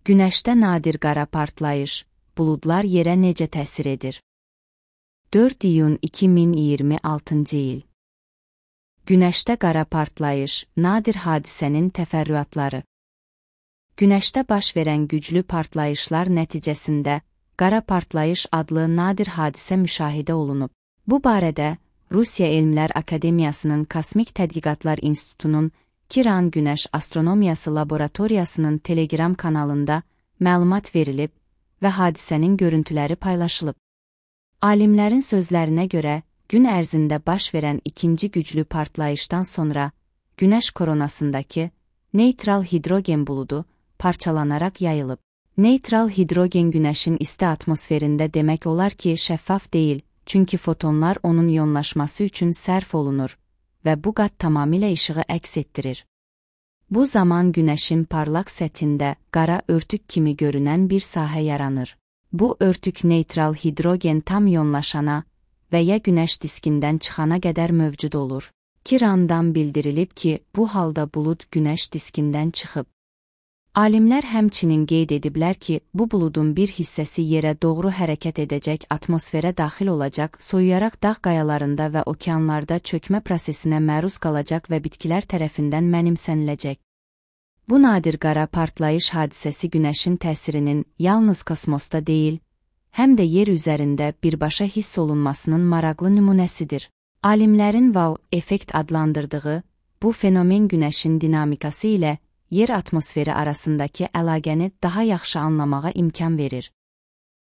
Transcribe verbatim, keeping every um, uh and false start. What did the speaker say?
Günəşdə nadir qara partlayış, buludlar yerə necə təsir edir? dörd iyun iki min iyirmi altıncı il. Günəşdə qara partlayış, nadir hadisənin təfərrüatları. Günəşdə baş verən güclü partlayışlar nəticəsində qara partlayış adlı nadir hadisə müşahidə olunub. Bu barədə Rusiya Elmlər Akademiyasının Kosmik Tədqiqatlar İnstitutunun Kiran Günəş Astronomiyası Laboratoriyasının Telegram kanalında məlumat verilib və hadisənin görüntüləri paylaşılıb. Alimlərin sözlərinə görə, gün ərzində baş verən ikinci güclü partlayışdan sonra Günəş koronasındakı neytral hidrogen buludu parçalanaraq yayılıb. Neytral hidrogen Günəşin isti atmosferində demək olar ki, şəffaf deyil, çünki fotonlar onun iyonlaşması üçün sərf olunur və bu qat tamamilə işığı əks etdirir. Bu zaman Günəşin parlaq səthində qara örtük kimi görünən bir sahə yaranır. Bu örtük neytral hidrogen tam iyonlaşana və ya Günəş diskindən çıxana qədər mövcud olur. Kirandan bildirilib ki, bu halda bulud Günəş diskindən çıxıb. Alimlər həmçinin qeyd ediblər ki, bu buludun bir hissəsi yerə doğru hərəkət edəcək, atmosferə daxil olacaq, soyuyaraq dağ qayalarında və okeanlarda çökmə prosesinə məruz qalacaq və bitkilər tərəfindən mənimsəniləcək. Bu nadir qara partlayış hadisəsi Günəşin təsirinin yalnız kosmosda deyil, həm də yer üzərində birbaşa hiss olunmasının maraqlı nümunəsidir. Alimlərin wow effekt adlandırdığı bu fenomen Günəşin dinamikası ilə yer atmosferi arasındakı əlaqəni daha yaxşı anlamağa imkan verir.